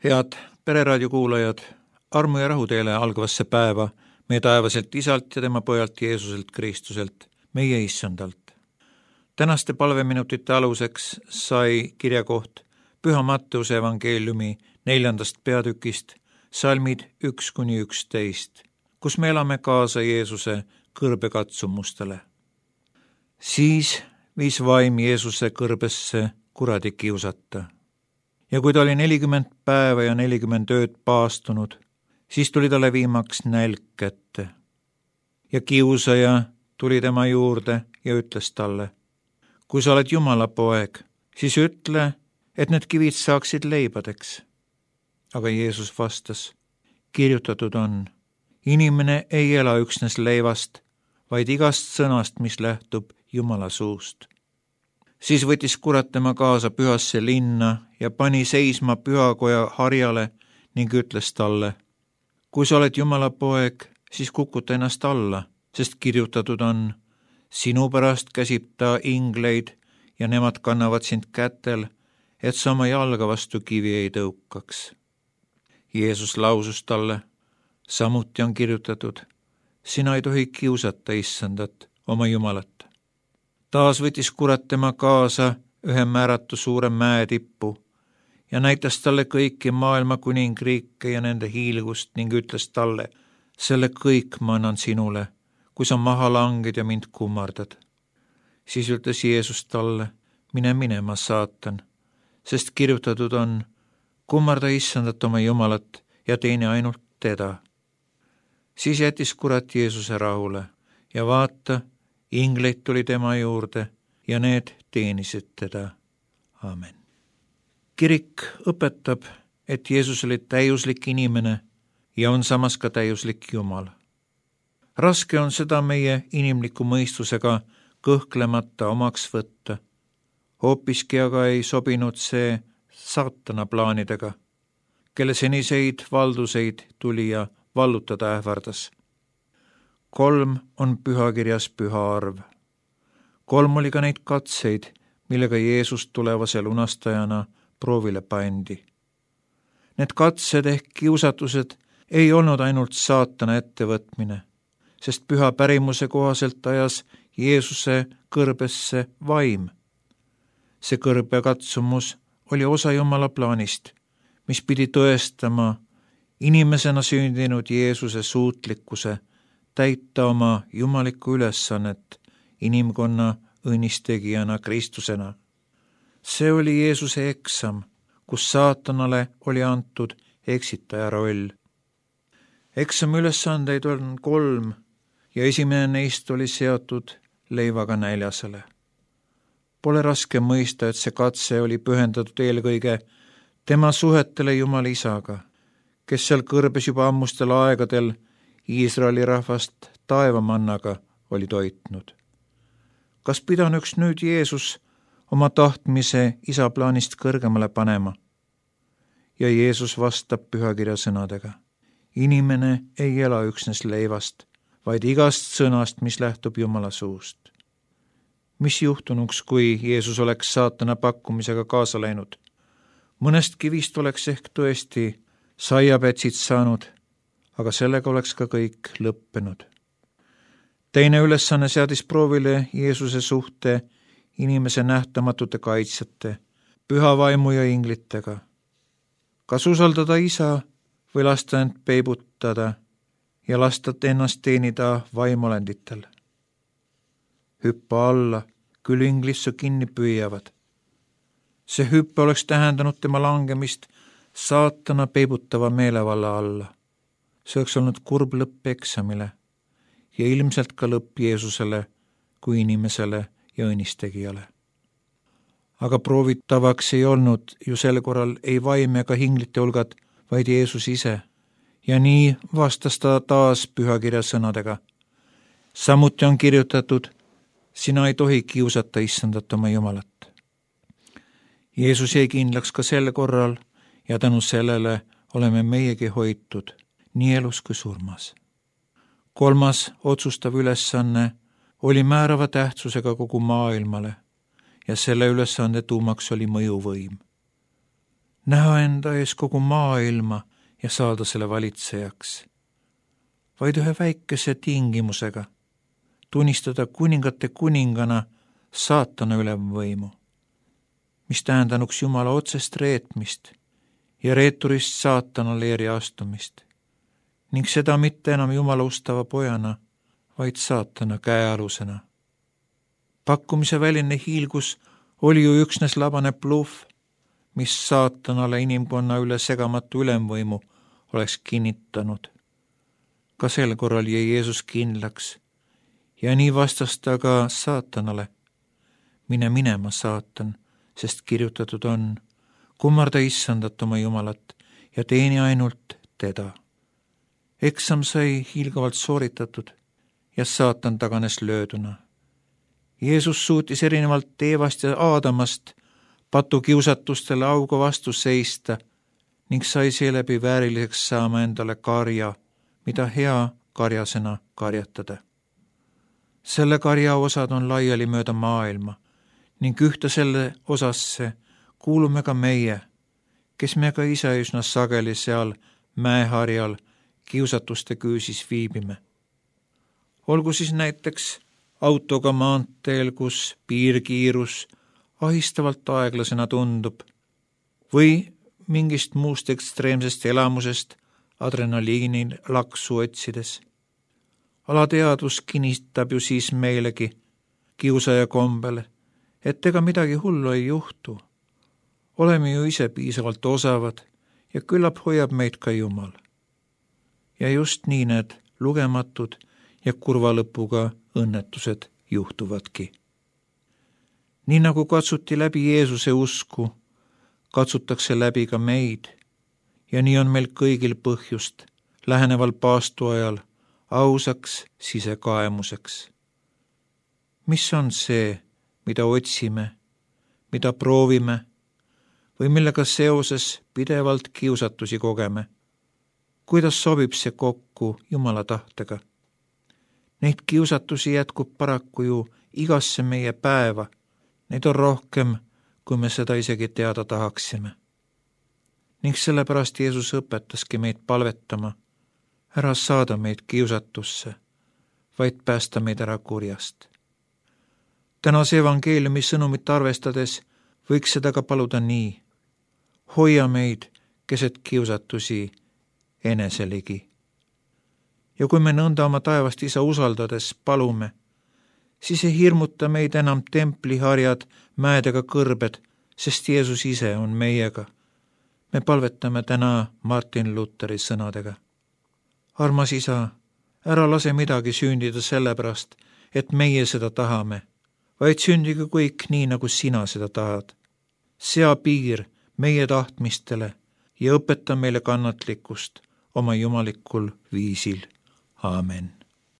Head Pereraadio kuulajad, armu ja rahu teile algavasse päeva meie taevaselt Isalt ja tema pojalt Jeesuselt Kristuselt, meie Issandalt. Tänaste palveminutite aluseks sai kirjakoht Püha Matteuse evangeeliumi 4. peatükist, salmid 1-11, kus me elame kaasa Jeesuse kõrbekatsumustele. Siis viis vaim Jeesuse kõrbesse kuradi kiusata. Ja kui ta oli 40 päeva ja 40 ööd paastunud, siis tuli talle viimaks nälg kätte. Ja kiusaja tuli tema juurde ja ütles talle: kui sa oled Jumala poeg, siis ütle, et need kivid saaksid leibadeks. Aga Jeesus vastas: kirjutatud on, inimene ei ela üksnes leivast, vaid igast sõnast, mis lähtub Jumala suust. Siis võttis kurat tema kaasa pühasse linna ja pani seisma pühakoja harjale ning ütles talle: kui sa oled Jumala poeg, siis kukuta ennast alla, sest kirjutatud on, sinu pärast käsib ta ingleid ja nemad kannavad sind kätel, et sa oma jalga vastu kivi ei tõukaks. Jeesus lausus talle: samuti on kirjutatud, sina ei tohi kiusata Issandat, oma Jumalat. Taas võttis kurat tema kaasa ühe määratu suure mäe tippu ja näitas talle kõiki maailma kuningriike ja nende hiilgust ning ütles talle: selle kõik ma annan sinule, kui sa maha langed ja mind kummardad. Siis ütles Jeesus talle: mine minema, saatan, sest kirjutatud on, kummarda Issandat oma Jumalat ja teeni ainult teda. Siis jättis kurat Jeesuse rahule ja vaata, ingleid tuli tema juurde ja need teenisid teda. Aamen. Kirik õpetab, et Jeesus oli täiuslik inimene ja on samas ka täiuslik Jumal. Raske on seda meie inimliku mõistusega kõhklemata omaks võtta. Hoopiski aga ei sobinud see saatana plaanidega, kelle seniseid valduseid tuli ja vallutada ähvardas. 3 on pühakirjas püha arv. 3 oli ka neid katseid, millega Jeesus tulevase lunastajana proovile pandi. Need katsed ehk kiusatused ei olnud ainult saatana ettevõtmine, sest püha pärimuse kohaselt ajas Jeesuse kõrbesse vaim. See kõrbekatsumus oli osa Jumala plaanist, mis pidi tõestama inimesena sündinud Jeesuse suutlikkuse täita oma jumalikku ülesannet inimkonna õnnistegijana Kristusena. See oli Jeesuse eksam, kus saatanale oli antud eksitaja roll. Eksami ülesandeid on 3 ja esimene neist oli seotud leivaga näljasele. Pole raske mõista, et see katse oli pühendatud eelkõige tema suhetele Jumala Isaga, kes seal kõrbes juba ammustel aegadel Iisraeli rahvast taevamannaga oli toitnud. Kas pidanuks nüüd Jeesus oma tahtmise Isa plaanist kõrgemale panema? Ja Jeesus vastab pühakirja sõnadega: inimene ei ela üksnes leivast, vaid igast sõnast, mis lähtub Jumala suust. Mis juhtunuks, kui Jeesus oleks saatana pakkumisega kaasa läinud? Mõnest kivist oleks ehk tõesti saiapätsid saanud, aga sellega oleks ka kõik lõppenud. Teine ülesanne seadis proovile Jeesuse suhte inimese nähtamatute kaitsjate, püha vaimu ja inglitega. Kas usaldada Isa või lasta end peibutada ja lasta ennast teenida vaimuolenditel? Hüppa alla, küll inglid su kinni püüavad. See hüppe oleks tähendanud tema langemist saatana peibutava meelevalla alla. See oleks olnud kurb lõpp eksamile ja ilmselt ka lõpp Jeesusele kui inimesele ja õnnistegijale. Aga proovitavaks ei olnud ju sel korral ei vaim ega hinglite hulgad, vaid Jeesus ise. Ja nii vastas ta taas pühakirja sõnadega: samuti on kirjutatud, sina ei tohi kiusata Issandat oma Jumalat. Jeesus jäi kindlaks ka sel korral ja tänu sellele oleme meiegi hoitud nii elus kui surmas. 3. otsustav ülesanne oli määrava tähtsusega kogu maailmale ja selle ülesande tuumaks oli mõjuvõim. näha enda ees kogu maailma ja saada selle valitsejaks, vaid ühe väikese tingimusega, tunnistada kuningate kuningana saatana ülemvõimu, mis tähendanuks Jumala otsest reetmist ja reeturist saatana leeri astumist, ning seda mitte enam Jumala ustava pojana, vaid saatana käealusena. Pakkumise väline hiilgus oli ju üksnes labane bluff, mis saatanale inimkonna üle segamatu ülemvõimu oleks kinnitanud. Ka sel korral jäi Jeesus kindlaks ja nii vastas ta ka saatanale. Mine minema, saatan, sest kirjutatud on, kummarda issandat oma Jumalat ja teeni ainult teda. Eksam sai hiilgavalt sooritatud ja saatan taganes lööduna. Jeesus suutis erinevalt Eevast ja Aadamast patukiusatustele auga vastu seista ning sai seeläbi vääriliseks saama endale karja, mida hea karjasena karjatada. Selle karja osad on laiali mööda maailma ning ühte selle osasse kuulume ka meie, kes me ka ise üsna sageli seal mäeharjal kiusatuste küüsis viibime. Olgu siis näiteks autoga maanteel, kus piirkiirus ahistavalt aeglasena tundub, või mingist muust ekstreemsest elamusest adrenaliini laksu otsides. Alateadvus kinnitab ju siis meilegi kiusaja kombel, et ega midagi hullu ei juhtu. Oleme ju ise piisavalt osavad ja küllap hoiab meid ka Jumal. Ja just nii need lugematud ja kurva lõpuga õnnetused juhtuvadki. Nii nagu katsuti läbi Jeesuse usku, katsutakse läbi ka meid ja nii on meil kõigil põhjust läheneval paastuajal ausaks sisekaemuseks. Mis on see, mida otsime, mida proovime või millega seoses pidevalt kiusatusi kogeme? Kuidas sobib see kokku Jumala tahtega? Neid kiusatusi jätkub paraku ju igasse meie päeva. Neid on rohkem, kui me seda isegi teada tahaksime. Ning sellepärast Jeesus õpetaski meid palvetama, ära saada meid kiusatusse, vaid päästa meid ära kurjast. Tänase evangeeliumi sõnumit arvestades võiks seda ka paluda nii. Hoia meid keset kiusatusi eneseligi. Ja kui me nõnda oma taevast Isa usaldades palume, siis ei hirmuta meid enam templiharjad, mäedega kõrbed, sest Jeesus ise on meiega. Me palvetame täna Martin Lutheri sõnadega. Armas Isa, ära lase midagi sündida sellepärast, et meie seda tahame, vaid sündige kõik nii, nagu sina seda tahad. Sea piir meie tahtmistele ja õpeta meile kannatlikkust oma jumalikul viisil. Aamen.